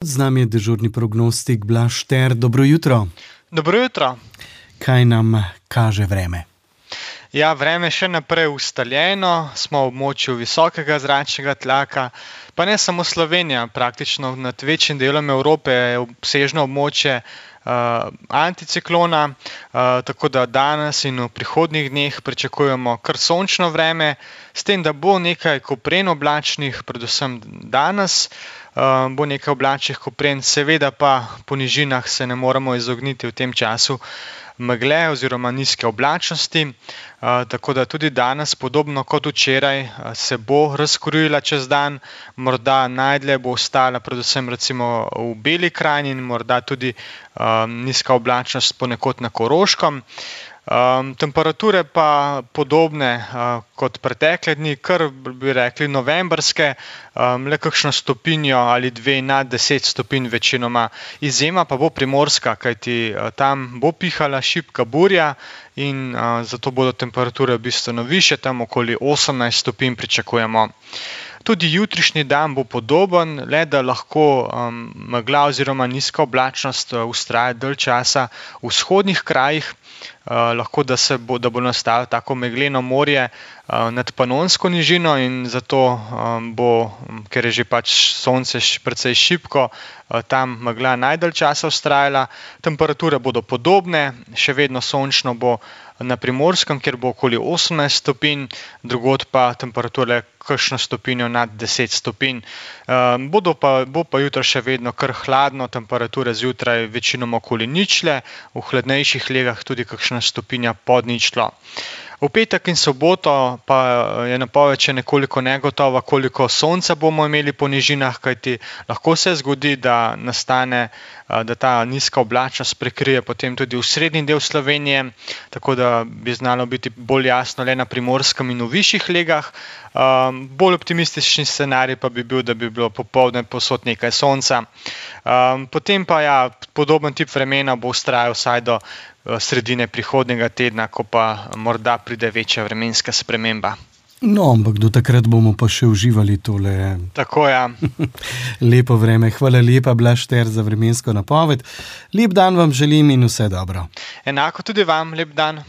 Z nami je dežurni prognostik Blaž Šter. Dobro jutro. Dobro jutro. Kaj nam kaže vreme? Ja, vreme je še naprej ustaljeno, smo v območju visokega zračnega tlaka, pa ne samo Slovenija, praktično nad večjim delom Evrope je obsežno območje anticiklona, tako da danes in v prihodnjih dneh pričakujemo kar sončno vreme, s tem, da bo nekaj kopren oblačnih, predvsem danes, bo nekaj oblačnih kopren, seveda pa po nižinah se ne moremo izogniti v tem času megle oziroma nizke oblačnosti, tako da tudi danes, podobno kot včeraj, se bo razkurila čez dan, morda najdlje bo ostala predvsem recimo v Beli krajini in morda tudi nizka oblačnost ponekod na Koroškem. Temperature pa podobne kot pretekle dni, kar bi rekli novembrske, le kakšno stopinjo ali dve nad 10 stopinj večinoma. Izjema pa bo Primorska, kajti tam bo pihala šibka burja in zato bodo temperature bistveno višje, tam okoli 18 stopinj pričakujemo. Tudi jutrišnji dan bo podoben, le da lahko megla oziroma nizka oblačnost vztraja dalj časa v vzhodnih krajih, lahko da bo nastalo tako megleno morje nad Panonsko nižino in zato bo, ker je že pač sonce precej šibko, tam megla najdalj časa vztrajala. Temperature bodo podobne, še vedno sončno bo na Primorskem, kjer bo okoli 18 stopinj, drugod pa temperature kakšno stopinjo nad 10 stopinj. Bo pa jutro še vedno kar hladno, temperature zjutraj večinoma okoli ničle, v hladnejših legah tudi kakšna stopinja pod ničlo. V petek in soboto pa je napoved še nekoliko negotova, koliko sonca bomo imeli po nižinah, kajti lahko se zgodi, da nastane, da ta nizka oblačnost prekrije potem tudi osrednji del Slovenije, tako da bi znalo biti bolj jasno le na Primorskem in v višjih legah. Bolj optimistični scenarij pa bi bil, da bi bilo popoldne povsod nekaj sonca. Potem pa ja, podoben tip vremena bo vztrajal vsaj do sredine prihodnjega tedna, ko pa morda pride večja vremenska sprememba. No, ampak do takrat bomo pa še uživali tole. Tako, ja. Lepo vreme. Hvala lepa, Blaž Šter, za vremensko napoved. Lep dan vam želim in vse dobro. Enako tudi vam, lep dan.